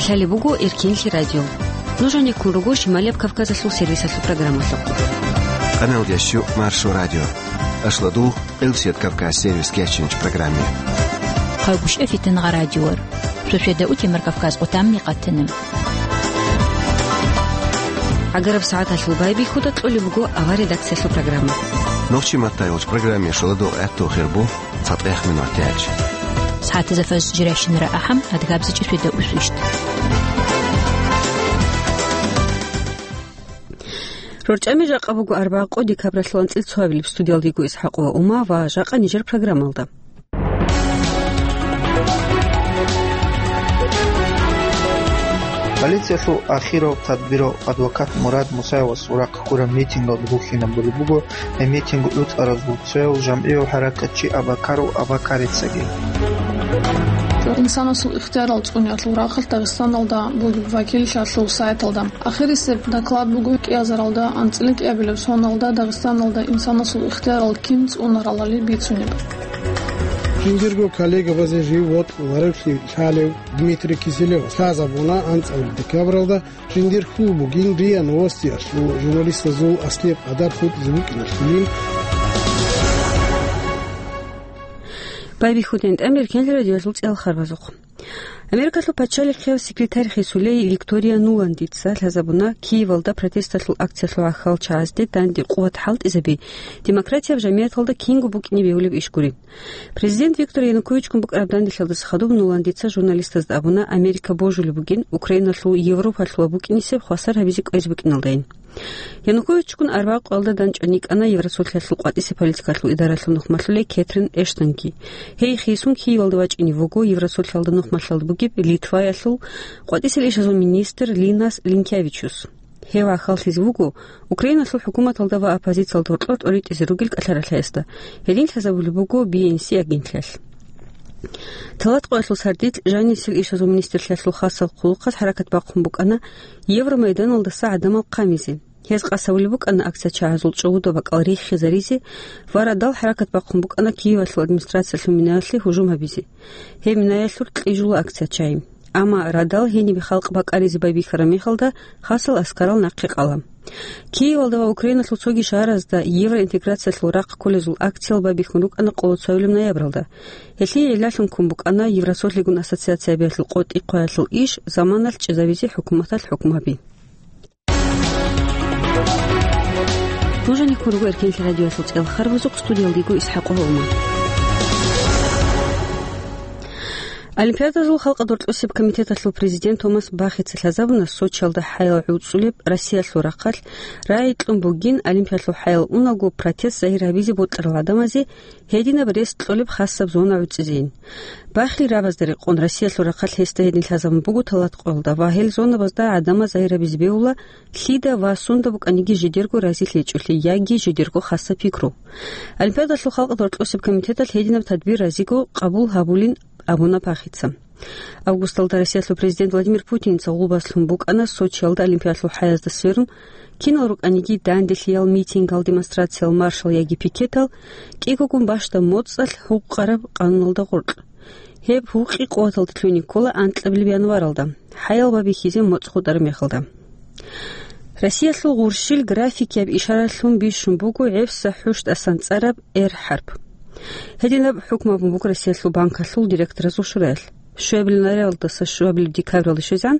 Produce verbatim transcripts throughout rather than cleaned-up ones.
Гьале буго Эркенлъи радио. Нуж гьанеккун руго Шималияб Кавказалъул сервисалъул программалъухъ. Къаналдящу Маршо радио. Ашладул Къилсият Кавказ сервис кечинч программе. Хъагушев Фитнагъа радиор. Шошеда утемар Кавказ къутамни къатана. Агараб сагӀаталъул байбихьуда кьолеб буго авар редакциялъул программа. Нохчи маттайолч программе шоладо гӀатту хирбу. ЦатӀех минутач. СагӀатазда фаз жиращинара ахӀам, адгабзичӀи светда усвищ. РорчӀами жакъа буго арбагъ къо декабралъул анцӀил цоабилеб. Студиялдего ИсхӀакъова Ума ва жакъа нижер программалда. Полициялъул ахирав тадбирал адвокат Мурад Мусаевас урахъ ккураб митингалда бухьинабулеб буго. Гьеб митинг гӀуцӀаразул цояв жамгӀияв хӀаракатчи Абакаров Абакарицаги. Инсанасул ихтиярал цӀуниялъул рахъалъ Дагъистаналда бугеб вакиллъиялъул сайталда. Ахирисеб доклад буго кӀиазаралда анцӀила кӀиабилеб соналда Дагъистаналда инсанасул ихтиярал кин цӀунаралали бицунеб. Жиндирго коллегабазе жив вокьуларевлъи лъалев Дмитрий Киселев лъазабуна анцӀабилеб декабралда. Жиндир хьул бугин РИА Новостиялъул журналистазул аслияб къадар хутӀизе букӀиналъулин. Байбихьудин тӀамир кенлъи радиоялъул цӀел харбазухъ. Америкалъул пачалихъияв секретарь хисулей Виктория Нуландица лъазабуна Киевалда протесталъул акциялъул гӀахьал чагӀазде данде къуват хӀалтӀизаби демократияб жамияталда кинго букӀине бегьулеб иш гури. Президент Виктор Януковичгун букӀараб данделъиялдаса хадуб Нуландица журналистазда абуна, Америка божулеб бугин Украиналъул Европалъула букӀинисеб хвасар гьабизе кӀвезе букӀиналдайин. Януковичгун арбагъ къоялда данчӀван йикӀана Евросулъиялъул къватӀисе политикалъул идаралъул нухмалъулей Кэтрин Эштонги. Гьей хисун Киевалда вачӀине вуго Евросулъиялда нухмалъалда бугеб Литваялъул къватӀисел ишазул министр Линас Линкявичус. Гьев гӀахьаллъизе вуго Украиналъул хӀукуматалда ва оппозициялда гьоркьор тӀоритӀизе ругел кӀалъаралъаясда, гьедин лъазабулеб буго Би Эн Си агенталъ. Талат къоялъул сардилъ жанисел ишазул министрлъиялъул хасал хъулухъалъ хӀаракат бахъун букӀана Евромайданалдаса гӀадамал хъамизе. Гьез къасавулеб букӀана акция чагӀазул чӀугӀуда бакӀал риххизаризе ва радал хӀаракат бахъун букӀана Киевалъул администрациялъул минаялъе гьужум гьабизе. Гьеб минаялъур кьижула акция чагӀи. Амма радал гьенибе халкъ бакӀаризе байбихьараб мехалда хасал аскарал нахъе къала. Киевалда ва Украиналъул цоги шагьаразда евроинтеграциялъул рахъ кколезул акциял байбихьун рукӀана къоло цоабилеб ноябралда. Гьелъие гӀиллалъун ккун букӀана Евросолъигун ассоциациябиялъул къотӀи-хъваялъул иш заманалъ чӀезабизе хӀукуматалъ хӀукму гьаби. Нуж гьанеккун руго Эркенлъи радиоялъул цӀел харбазухъ, студиялда йиго ИсхӀакъ Гьолман. Олимпиадазул халкъалъул рокьосеб комитеталъул президент Томас Бахица лъазабуна Сочиялда хӀаял гӀуцӀулеб Россиялъул рахъалъ рагӀи кьун бугин, Олимпиялъул хӀаял унаго протест загьир гьабизе бокьарал гӀадамазе гьединаб рес кьолеб хасаб зона гӀуцӀизейин. Бахил рабазда рекъон Россиялъул рахъалъ гьесда гьедин лъазабун буго талат къоялда ва гьел зонабазда гӀадамаз загьир гьабизе бегьула, лъида ва сунда букӀаниги жидерго разилъичӀолъи яги жидерго хасаб пикру. Олимпиадалъул халкъалъул рокьосеб комитеталъ гьединаб тадбир разиго къабул гьабулин абуна Бахица. Августалда Россиялъул президент Владимир Путинца гъулбас лъун букӀана Сочиялда Олимпиадалъул хӀаязда сверун, кинал рукӀаниги данделъиял митингал, демонстрациял, маршал яги пикетал, кӀигогун бащдаб моцӀалъ гьукъараб къануналда гъоркь. Гьеб гьукъи къуваталде лъугьине ккола анкьабилеб январалда, хӀаял байбихьизе моцӀ хутӀараб мехалда. Россиялъул гъурщил графикияб ишаралъун бищун буго гӀебсагӀат хӀушдасан цӀараб Р хӀарп. Гьединаб хӀукму гьабун буго Россиялъул банкалъул директоразул шураялъ. Щуабилеб ноябралдаса щуабилеб декабралде щвезегӀан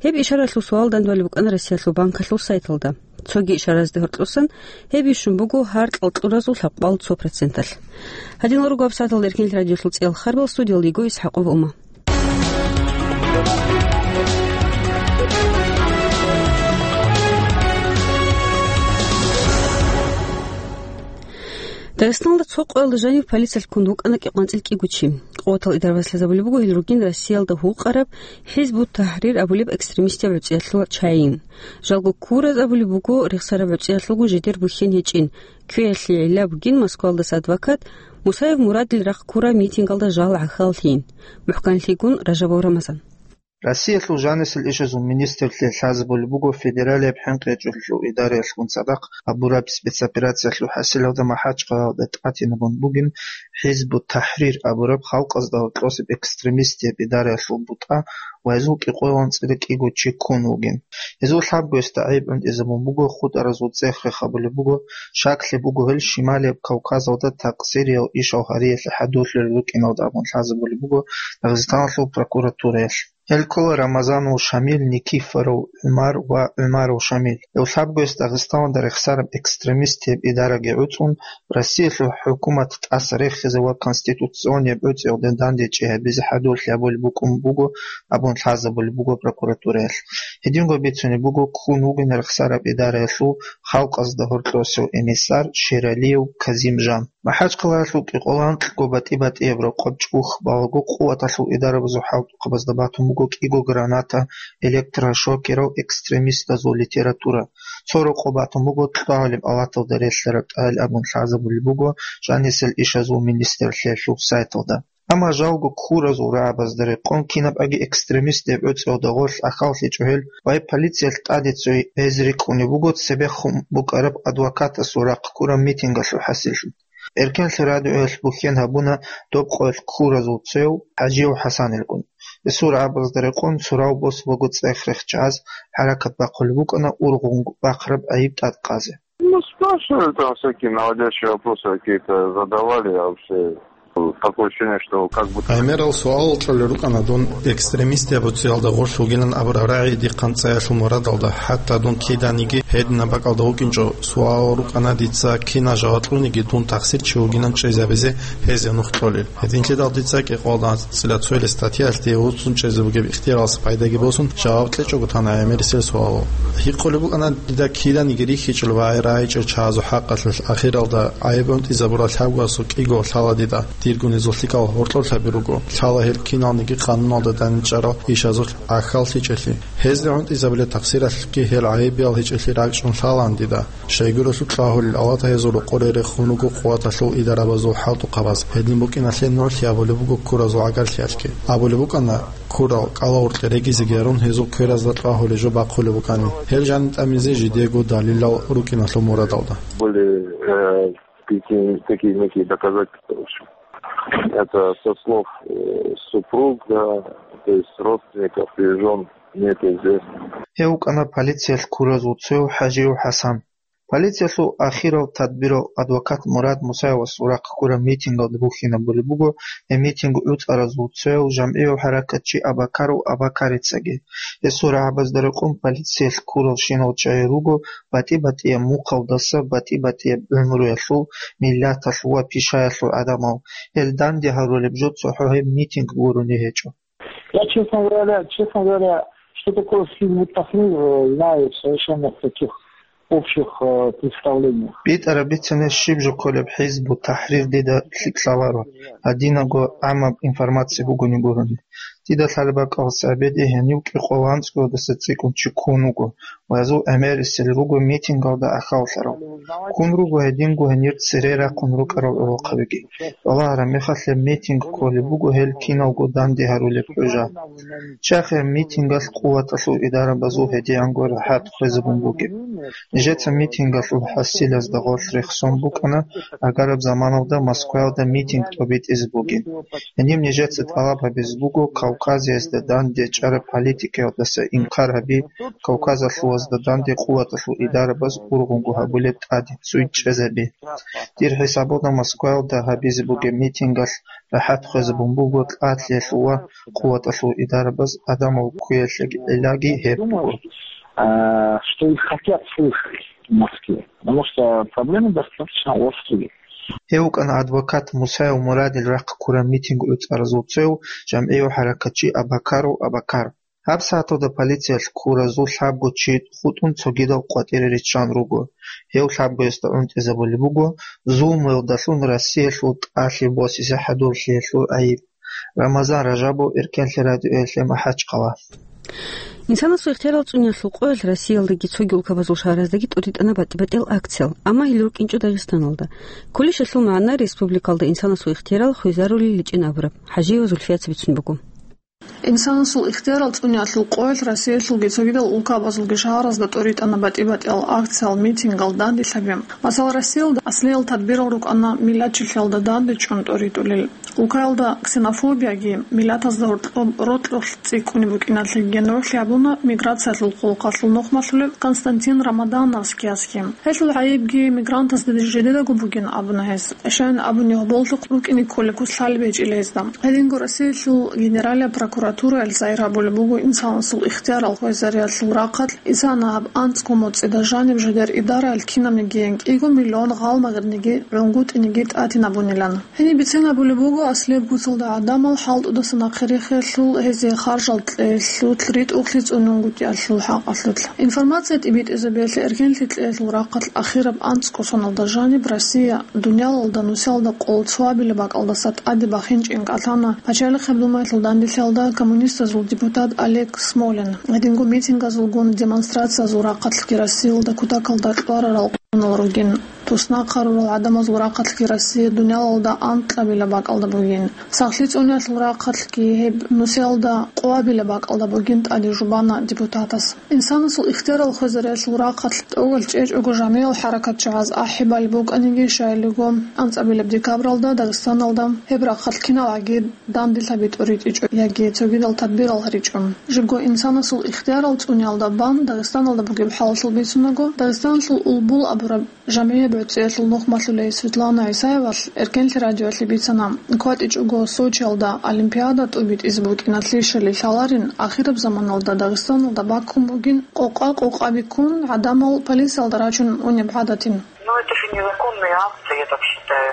гьеб ишаралъул суал данде балеб букӀана Россиялъул банкалъул сайталда. Цоги ишаразде гьоркьосан гьеб бищун буго гьаркьал кьуразул лъабкъоялда цо проценталъ. Гьадинал руго гьабсагӀаталда Эркенлъи радиолъул цӀел харбал, студиялда йиго ИсхӀакъов Ума. Дагъистаналда цо къоялда жанив полициялъ ккун вукӀана кӀикъоялда анцӀила кӀиго чи. Къуватал идарабаз лъазабулеб буго гьел ругин Россиялда гьукъараб ХӀизбут ТахӀрир абулеб экстремистиял гӀуцӀиялъул чагӀи. Жалго ккураз абулеб буго рехсараб гӀуцӀиялъулго жидер бухьен гьечӀин, кквеялъе гӀилла бугин Москвалдаса адвокат Мусаев Мурадил рахъ ккураб митингалда жал гӀахьаллъиин. МухӀканлъигун, Ражабов Рамазан. Россиялъул жанисел ишазул министрлъи лъазабулеб буго федералияб хӀинкъичӀелъул идараялъгун цадахъ гьабураб спецоперациялъул хӀасилалда МахӀачкъалаялда тӀатинабун бугин ХӀизбут-ТахӀрир абураб халкъазда гьоркьосеб экстремистияб идараялъул бутӀа ва гьезул кӀикъоялда анцӀила кӀиго чи ккун вугин. Гьезул лъабгоясда гӀайиб гӀунтӀизабун буго хутӀаразул цӀех-рех абулеб буго, щаклъи буго гьел Шималияб Кавказалда такъсириял ишал гьариялъе хӀадурлъулел рукӀиналда абун лъазабулеб буго Дагъистаналъул прокуратураялъ. Гьел ккола Рамазанов Шамил, Никифоров ГӀумар ва ГӀумаров Шамил. Гьев лъабгояс Дагъистаналда рехсараб экстремистияб идараги гӀуцӀун, Россиялъул хӀукумат тӀаса рехизе ва конституционияб гӀуцӀиялда дандечӀи гьабизе хӀадурлъи гьабулеб букӀун буго абун лъазабулеб буго прокуратураялъ. Гьединго бицунеб буго ккун вугин рехсараб идараялъул халкъазда гьоркьосев эмиссар Шералиев Казим-жан. МахӀачкъалаялъул кӀикъоялда анкьго батӀи-батӀияб рокъоб чӀухь балаго къуваталъул идарабазул хӀалтӀухъабазда батун буго кӀиго граната, электрошокерал, экстремистазул литература. Цо рокъоб батун буго кьвагьулеб алаталда релълъараб тӀагӀел абун лъазабулеб буго жанисел ишазул министрлъиялъул сайталда. Амма жалго ккуразул рагӀабазда рекъон кинаб аги экстремистияб гӀуцӀиялда гъорлъ ахьаллъичӀо гьел ва гьеб полициялъ тӀаде цой гьез рикӀкӀунеб буго цебехун букӀараб адвокатасул рахъ ккураб митингалъул хӀасиллъи. Эркенлъи радиоялъ бухьен гьабуна доб къоялъ ккуразул цояв ХӀажияв ХӀасанилгун. Гьесул рагӀабазда рекъон сурал босабаго цӀех-рех чагӀаз хӀаракат бахъулеб букӀана ургъун бахъараб гӀайиб тӀадкъазе. Ну, спрашивали там всякие наводящие вопросы какие-то, задавали, я вообще, такое ощущение, что как будто... ГӀемерал суалал кьолел рукӀана дун экстремистияб гӀуцӀиялда гъорлъ вугилан абураб рагӀи дихъан цӀаялъул мурадалда, хӀатта дун киданиги гьединаб бакӀалда вукӀинчӀо. Суалал рукӀана дица кинал жаваб кьуниги дун такъсирчи вугилан чӀезабизе гьезие нух кьолел. Гьединлъидал дица кӀикъоялда анцӀила цоялъ статьялъ дие вуцун чӀезе бугеб ихтияралъ пайдаги босун, жаваб кьечӀого тана гӀемерисел суалал. Гьикъулеб букӀана дида киданиги рихьичӀел ва рагӀичӀел чагӀазул хӀакъалъулъ, ахиралда гӀайиб гӀунтӀизабурал лъабгоясул кӀиго лъала дида, диргун гьезул лъикӀал гьоркьоблъаби руго, лъала гьел киналниги къануналда дандчӀварал ишазулъ гӀахьаллъичӀелъи. Гьезда гӀунтӀизабулеб такъсиралъги гьел гӀайибиял гьечӀелъи ракӀчӀун лъалаан дида. Щайгурелъул кьвагьулел алатал гьезул рокъоре рехун руго къуваталъул идарабазул хӀалтӀухъабаз. Гьедин букӀиналъе нугӀлъи абулеб буго ккуразул гӀагарлъиялъги. Абулеб букӀана, ккурал кӀалал гьоркье регизеги гьарун, гьезул кверазда кьвагьулеб жо бахъулеб букӀанин. Гьел жаниб тӀамизе жидего далилал рукӀиналъул мурадалда. Были, э, такие, такие некие доказательства, в общем. Это со слов, э, супруга, то есть родственников и жён, мне это известно. Гьев вукӀана полициялъ ккуразул цояв ХӀажияв ХӀасан. Полициялъул ахирал тадбирал адвокат Мурад Мусаевасул рахъ ккураб митингалда бухьинабулеб буго, гьеб митинг гӀуцӀаразул цояв жамгӀияв хӀаракатчи Абакаров Абакарицаги. Гьесул рагӀабазда рекъон полициялъ ккуралщинал чагӀи руго батӀи-батӀияб мухъалдаса, батӀи-батӀияб гӀумруялъул, миллаталъул ва пишаялъул гӀадамал. Гьел данде гьарулеб жо цохӀо гьеб митинг гурони гьечӀо. Я, честно говоря, честно говоря, что такое Хизбут Тахрир, э, знаю совершенно в таких общих, э, представлениях. БитӀараб бицани щиб жо кколеб Хизбут Тахрир дида лъикӀ лъаларо, гьадинаго гӀаммаб информация бугони гурони. Дида лъалеб бакӀалдаса гьабеги гьенив кӀикъоялда анцӀгоялдаса цӀикӀкӀун чи ккун вуго ва гьезул гӀемерисел руго митингалда ахьаллъарав. Ккун руго гьединго гьенир цере рахъун рукӀарал гӀолохъабиги. Балагьараб мехалъ гьеб митинг кколеб буго гьел киналго данде гьарулеб хӀужа. Чахъе митингалъ къуваталъул идарабазул гьедигӀанго рахӀат хвезабун бугеб. Нижеца митингалъул хӀасилазда гъорлъ рехсон букӀана, агараб заманалда Москваялда митинг тӀобитӀизе бугин. Гьениб нижеца тӀалаб гьабизе буго Кавказиязда данде чӀараб политикаялдаса инкар гьаби, Кавказалъувазда данде къуваталъул идарабаз ургъунго гьабулеб тӀаде цуй чӀезаби. Дир хӀисабалда Москваялда гьабизе бугеб митингалъ рахӀат хвезабун буго тӀадлъиялъул ва къуваталъул идарабаз адамал кквеялъеги гӀиллаги гьеб буго. А, что их хотят слышать в Москве, потому что проблемы достаточно острые. Гьев вукӀана адвокат Мусаев Мурадил рахъ ккураб митинг гӀуцӀаразул цояв, жамгӀияв хӀаракатчи Абакаров Абакар. Гьаб сагӀаталда полициялъ ккуразул лъабго чи хутӀун цогидал къватӀире риччан руго. Гьев лъабгоясда гӀунтӀизабулеб буго, зулмуялдалъун Россиялъул тӀалъи босизе хӀадурлъиялъул гӀайиб. Рамазан Ражабов, Эркенлъи радиоялъе, МахӀачкъала. Инсанасул ихтиярал цӀуниялъул къоялъ Россиялдаги цоги улкабазул шагьараздаги тӀуритӀана батӀи-батӀиял акциял, амма гьел рукӀинчӀо Дагъистаналда. Кколищ гьелъул магӀна республикалда инсанасул ихтиярал хвезарулел гьечӀин абураб, ХӀажиева Зульфияца бицун буго. Инсанасул ихтиярал цӀуниялъул къоялъ Россиялъулги цогидал улкабазулги шагьаразда тӀоритӀана батӀи-батӀиял акциял, митингал, данделъаби. Масала, Россиялда аслиял тадбирал рукӀана миллатчилъиялда дандечӀун тӀоритӀулел. Улкаялда ксенофобияги, миллатазда гьоркьоб рокьулъ цӀикӀкӀунеб букӀиналъеги нугӀлъи гьабуна миграциялъул хъулухъалъул нухмалъулев Константин Рамадановскиясги. Гьелъул гӀайибги мигрантазда жидедаго бугин абуна гьес. Щайин абуни, гьоболлъухъ рукӀине кколеб куц лъалеб гьечӀила гьезда. Гьединго Россиялъул Генералия прокуратураялъ загьир гьабулеб буго инсанасул ихтиярал хвезариялъул рахъалъ, инсанас гьаб анцӀго моцӀида жаниб жидер идараялъ кинабниги гьенкӀиго миллион гъалмагъниги гӀунгутӀиниги тӀатинабунилан. Гьениб бицен гьабулеб буго аслияб куцалда гӀадамал хӀалтӀудаса нахъе рехиялъул, гьезие харжал кьеялъул, ритӀухълъи цӀунунгутӀиялъул хӀакъалъулъ. Информация тӀибитӀизабиялъе эркенлъи кьеялъул рахъалъ ахираб анцӀго соналда жаниб Россия дуниялалда нусиялда къоло цоабилеб бакӀалдаса тӀаде бахинчӀин кӀалъана пачалихъ гьаб Думаялъул данделъиялда коммунистазул депутат Олег Смолин. Гьединго митингазулгун демонстрациязул рахъалъги Россиялда кутакалда кьварарал къуналъ ругин. Туснахъ гьарурал гӀадамазул рахъалъги Россия дуниялалда анкьабилеб бакӀалда бугин. Сахлъи цӀуниялъул рахъалъги гьеб нусиялда къоабилеб бакӀалда бугин тӀаде жубана депутатас. Инсанасул ихтиярал хвезариялъул рахъалъ тӀогал чӀечӀого жамигӀал хӀаракатчагӀаз ахӀи балеб букӀаниги, щайилго анцӀабилеб декабралда Дагъистаналда гьеб рахъалъ киналгӀаги данделъаби тӀоритӀичӀо яги цогидал тадбирал гьаричӀо. Жибго инсанасул ихтиярал цӀуниялда бан Дагъистаналда бугеб хӀалалъул бицунаго, Дагъистаналъул Улбул абураб жамгӀияб гӀуцӀиялъул нухмалъулей Светлана ГӀисаевалъ эркенлъи радиоялъе бицана, кватӀичӀого Сочиялда Олимпиада тӀубитӀизе букӀиналъе щвели лъаларин, ахираб заманалда Дагъистаналда баккун бугин къокъа-къокъаби ккун гӀадамал полициялда рачун унеб гӀадатин. Ну, это же незаконные акты, я так считаю.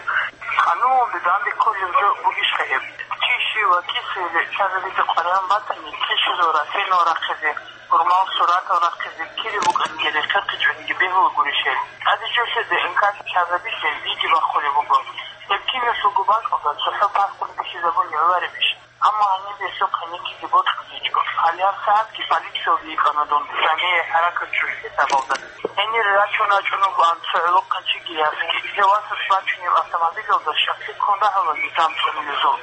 Къануналде данде кколеб жо бугищха гьеб? Чи щив вакӀиса или лъазабизе къваригӀун батани, кьижизул ратинал рахъизе, гьурмал суратал рахъизе, кири букӀаниги рехсехъичӀониги бегьула гурищ гьел. ТӀаде жо лъезе ДНК лъазабизе видео бахъулеб буго. Гьеб киналъулго бакӀалда цохӀо паспорт бихьизабун гӀоларебищ? Амма гьаниб гьесухъ гьаникиги бокьуличӀо. Гьале гьабсагӀатги полициялде йикӀана дун, жамигӀи хӀаракат чӀужу хӀисабалда. Гьенир рачун рачӀун вугоан цо гӀолохъанчиги ясги. Гьев васас бачунеб автомобилалда щаклъи ккун рагьула низам цӀунилезул.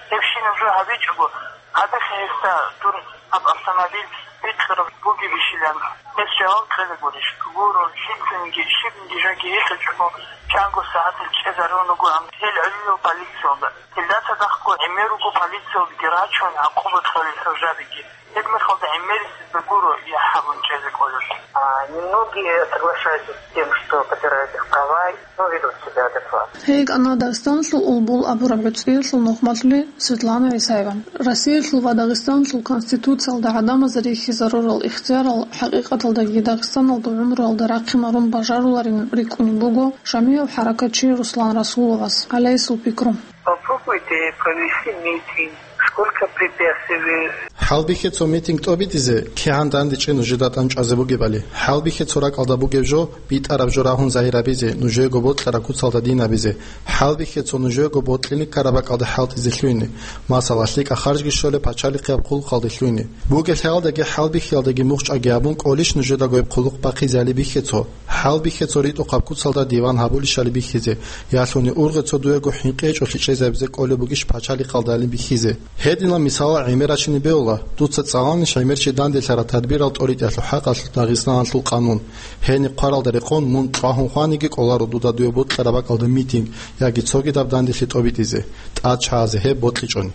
Гьебщинаб жо гьабичӀого, гьабиха гьесда дун гьаб автомобиль бикьараб бугебищилан. Гьес жаваб кьела гурищ? Гуро, лъицаниги щибниги жоги гьикъичӀого, чанго сагӀаталъ чӀезарун ругоан гьел гӀолилал полициялда. Гьелда цадахъго гӀемер руго полициялдаги рачун гӀакъуба кьолел хӀужабиги. Гьеб мехалда гӀемерисезда гуро яхӀ гьабун чӀезе кӀолел. А, немногие соглашаются с тем, что попирают их права, но ведут себя адекватно. Гьей гьанна Дагъистаналъул Улбул абураб гӀуцӀиялъул нухмалъули Светлана ГӀисаева. Россиялъул ва Дагъистаналъул Конституциялда гӀадамазе рихьизарурал ихтиярал хӀакъикъаталдаги Дагъистаналда гӀумруялда рахъин марун бажаруларин рикӀкӀунеб буго жамигӀав хӀаракатчи Руслан Расуловас, гьале гьесул пикру. Попробуйте провести митинг. Сколько препятствий вы... ХӀалбихье цо митинг тӀобитӀизе, кигӀан дандечӀе нужеда тӀамчӀвазе бугебали. ХӀалбихье цо ракӀалда бугеб жо, битӀараб жо рагьун загьирабизе, нужего бокьараб куцалда динабизе. ХӀалбихье цо нужего бокьине ккараб бакӀалда хӀалтӀизе лъугьине. Масала, лъикӀаб харжги щолеб пачалихъияб хъулухъалде лъугьине. Бугелъ гьалдаги хӀалбихьиялдаги мухъчӀаги гьабун кӀолищ нужедаго гьеб хъулухъ бахъизе гьали бихье цо? ХӀалбихье цо ритӀухъаб куцалда диван гьабулищали бихьизе, ялъуни ургъе цо дуего хӀинкъи гьечӀолъи чӀезабизе кӀолеб бугищ пачалихъалдалин бихьизе? Гьединал мисалал гӀемер рачине бегьула, дуца цӀаланищ гӀемер чи данделъараб тадбирал тӀоритӀиялъул хӀакъалъулъ Дагъистаналъул къанун? Гьениб хъваралда рекъон мун чӀвагьун хваниги кӀоларо дуда дуе бокьараб бакӀалда митинг яги цогидаб данделъи тӀобитӀизе, тӀад чагӀазе гьеб бокьичӀони.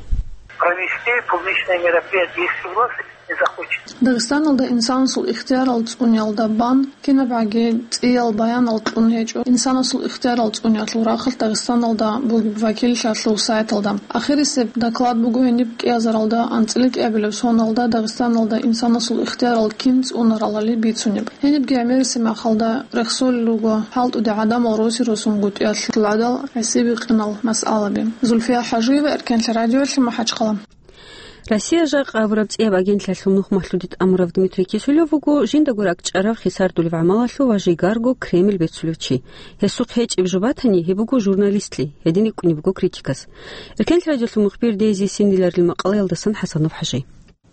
Провести публичные мероприятия, если у вас не захочет. Дагъистаналда инсанасул ихтиярал цӀуниялда бан кинабгӀаги цӀиял баянал кьун гьечӀо. Инсанасул ихтиярал цӀуниялъул рахъалъ Дагъистаналда бугеб вакиллъиялъул сайталда. Ахирисеб доклад буго гьениб кӀиазаралда анцӀила кӀиабилеб соналда Дагъистаналда инсанасул ихтиярал кин цӀунаралали бицунеб. Гьенибги гӀемериси махалда рехсолел руго хӀалтӀуде гӀадамал роси-росунгутӀиялъул гӀадал гӀисибикъинал масъалаби. Зульфия ХӀажиева, Эркенлъи радиоялъе, МахӀачхъала. Россия жакъа абураб цӀияб агентлъиялъул нухмалъуде тӀамурав Дмитрий Кисулев вуго жиндаго ракӀчӀарав хисардулев гӀамалалъув ва жигарго Кремль бецулев чи. Гьесухъ гьечӀеб жо батани, гьеб буго журналистлъи, гьедин рикӀкӀунеб буго критикас. Эркенлъи радиолъул мухбир Дейзи Синдиларил макъалаялдасан ХӀасанов ХӀажи.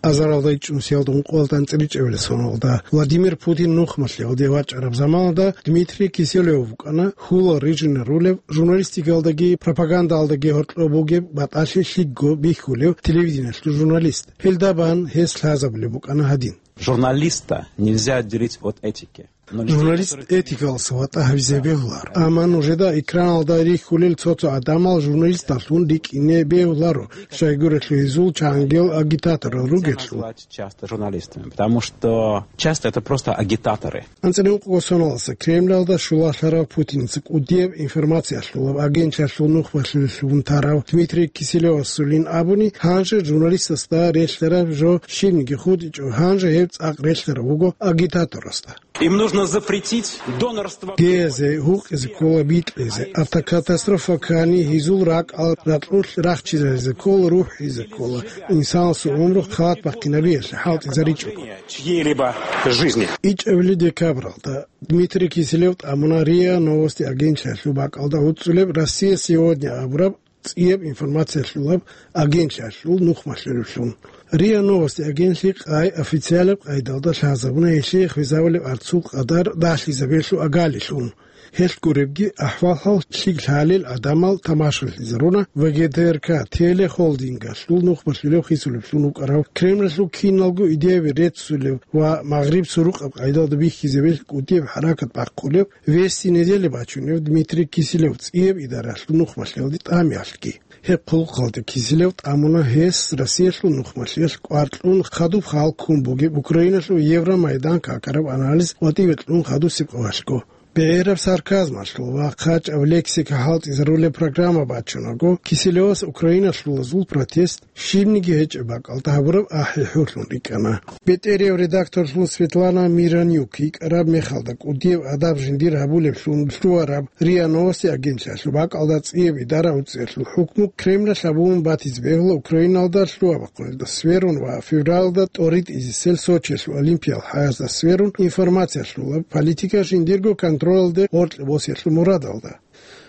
Азаралда ичӀнусиялда ункъоялда анцӀила ичӀабилеб соналда Владимир Путин нухмалъиялде вачӀараб заманалда Дмитрий Киселев вукӀана хьулал рижинарулев, журналистикалдаги пропагандалдаги гьоркьоб бугеб батӀалъи лъикӀго бихьулев телевидениялъул журналист. Гьелда бан гьес лъазабулеб букӀана гьадин. Журналиста нельзя отделить от этики. Журналист этикалъ ватӀа гьабизе бегьуларо. Амма нужеда экраналда рихьулел цо-цо гӀадамал журналисталъун рикӀкӀине бегьуларо, щайгурелъул гьезул чангел агитаторал ругелъул. Часто журналистами, потому что часто это просто агитаторы. АнцӀила ункъого соналдаса Кремлалда щулалъарав Путинца кӀудияб информациялъулаб агентлъиялъул нухмалъулелъун тарав Дмитрий Киселевасулин абуни, гьанже журналистасда релълъараб жо щибниги хутӀичӀо, гьанже гьеб цӀакъ релълъараб буго агитаторасда. Им нужно запретить донорство. Гезе, гьукъизе ккола бикьизе, автокатастрофа ккани гьезул ракӀал ракьулъ рахчизаризе ккола, рухӀизе ккола, инсанасул гӀумру халат бахъинабиялъе хӀалтӀизаричӀого. Чьей-либо жизни. ИчӀабилеб декабралда Дмитрий Киселев тӀамуна РИА Новости агентлъиялъул бакӀалда гӀуцӀулеб «Россия сегодня» абураб цӀияб информациялъулаб агентлъиялъул нухмалъулевлъун. РИА Новости агентлъи къай официалаб къайдалда лъазабуна гьелъие хвезабулеб арцул къадар дагьлъизабиялъул агалилъун. Гьелъ гуребги ахӀвал-хӀал лъикӀ лъалел гӀадамал тамашалъизаруна ВГТРК телехолдингалъул нухмалъулев хисулеблъун вукӀарав Кремлалъул киналго идеяби реццулев ва Магъриб сурукъаб къайдалда бихьизабиялъ кӀудияб хӀаракат бахъулев Вести недели бачунев Дмитрий Киселев цӀияб идаралъул нухмалъиялде тӀамиялъги. Гьеб хъулухъалда Киселев тӀамуна гьес Россиялъул нухмалъиялъ кӀвар кьун хадуб хал ккун бугеб Украиналъул Евромайдан какараб анализ къватӀиве кьун хадусеб къоялъго. БегӀераб сарказмалъул ва хъачӀаб лексика хӀалтӀизарулеб программа бачунаго, Киселевас украиналъулазул протест щибниги гьечӀеб бакӀалда гьабураб ахӀи-хӀуллъун рикӀкӀана. БетӀерияв редакторлъун Светлана Миронюк йикӀараб мехалда кӀудияб адаб жиндир гьабулеблъун лъугьараб РИА Новости агентлъиялъул бакӀалда цӀияб идара гӀуцӀиялъул хӀукму Кремлалъ гьабун батизе бегьула Украиналда лъугьа-бахъуналда сверун ва февралда тӀоритӀизесел Сочиялъул Олимпиял хӀаязда сверун информациялъулаб политика жиндирго контролалде гъоркье босиялъул мурадалда.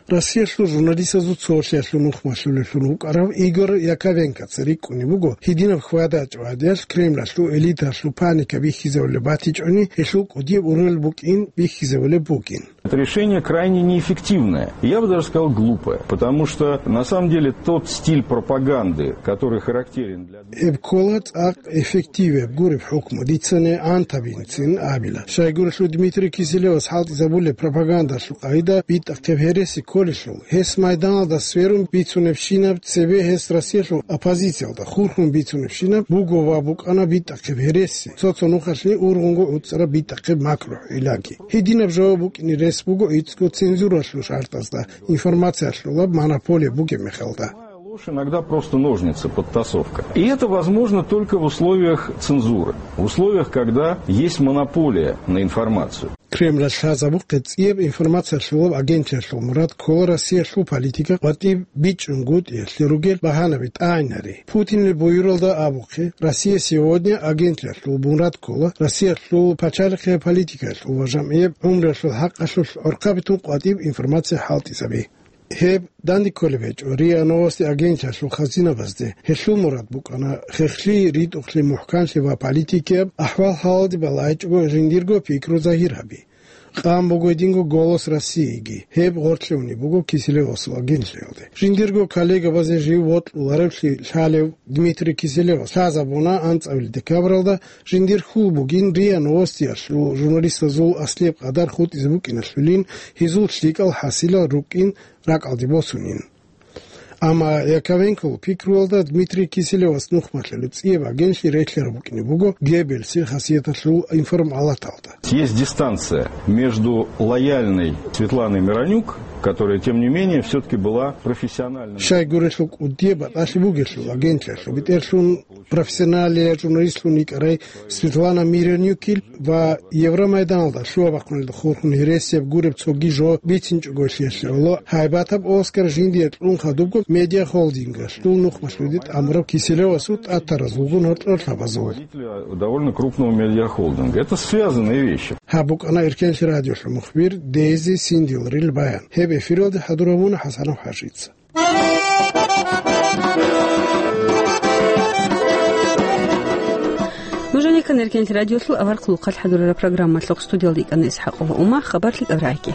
Россиялъул журналистазул цолъиялъул нухмалъулевлъун вукӀарав Игорь Яковенкоца рикӀкӀунеб буго, гьединаб хьвада-гьачӀо гӀадиялъ Кремлалъул элиталъул паника бихьизабулеб батичӀони, гьелъул кӀудияб ургъел букӀин бихьизабулеб бугин. Это решение крайне неэффективное. Я бы даже сказал, глупое, потому что, на самом деле, тот стиль пропаганды, который характерен для Гьеб ккола цӀакъ эффективеб гуреб хӀукму, дицани гӀантабинцин абила. Щайгурелъул Дмитрий Киселевас хӀалтӀизабулеб пропагандалъул къагӀида битӀахъеб гьереси кколелъул, гьес майданалда сверун бицунебщинаб, цебе гьес Россиялъул оппозициялда хурхун бицунебщинаб буго ва букӀана битӀахъеб гьереси, цо-цо нухалъе ургъунго гӀуцӀараб битӀахъеб макру-хӀилаги. Гьединаб жаваб букӀине рес буго ицӀго цензуралъул шартӀазда, информациялъулаб монополия бугеб мехалда. Ложь иногда просто ножницы, подтасовка. И это возможно только в условиях цензуры, в условиях, когда есть монополия на информацию. Кремлалъ лъазабухъе цӀияб информациялъулаб агентлъиялъул мурад ккола Россиялъул политика къватӀиб бичӀчӀунгутӀиялъе ругел багьанаби тӀагӀинари. Путинил буюралда абухъе, «Россия сегодня» агентлъиялъул мурад ккола Россиялъул пачалихъе политикаялъул ва жамгӀияб гӀумруялъул хӀакъалъулъ гӀорхъаби тун къватӀиб информация хӀалтӀизаби. Гьеб данде кколеб гьечӀо РИА Новости агентлъиялъул хазинабазде. Гьелъул мурад букӀана хехлъи, ритӀухълъи, мухӀканлъи ва политикияб ахӀвал-хӀалалде балагьичӀого жиндирго пикру загьир гьаби. Къан буго гьединго «Голос России»ги. Гьеб гъоркьлъунеб буго Киселевасул агентлъиялде. Жиндирго коллегабазе жив вокьуларевлъи лъалев Дмитрий Киселевас лъазабуна анцӀабилеб декабралда, жиндир хьул бугин РИА Новостиялъул журналистазул аслияб къадар хутӀизе букӀиналъулин, гьезул лъикӀал хӀасилал рукӀин ракӀалде босунин. Амма Яковенкол пикруялда Дмитрий Киселевас нухмалъулеб цӀияб агентлъи релълъараб букӀине буго Геббельсил хасияталъул информалаталда. Есть дистанция между лояльной Светланой Миронюк, которая, тем не менее, все-таки была профессиональным. Щайгурелъул кӀудияб батӀалъи бугелъул агентлъиялъул бетӀерлъун профессионалияб журналистлъун йикӀарай Светлана Миронюкил ва Евромайданалда лъугьа-бахъуналда хурхун гьересияб гуреб цоги жо бицинчӀого лъиялъе гӀоло, гьайбатаб Оскар жиндие кьун хадубго медиахолдингалъул нухмалъулде тӀамураб Киселевасул тӀатаразулгун гьоркьор лъабазул. Довольно крупного медиахолдинга. Это связанные вещи. Гьаб букӀана Эркенлъи радиолъул мухбир Дейзи Синдилрил баян. Гьеб эфиралде хӀадур гьабуна ХӀасанов ХӀажица. Нужеца ккани Эркенлъи радиолъул аварагасул хъалихъ хӀадурараб программалъухъ, студиялда йикӀана ИсхӀакъова Ума, хабарлъи тӀад рагӀи.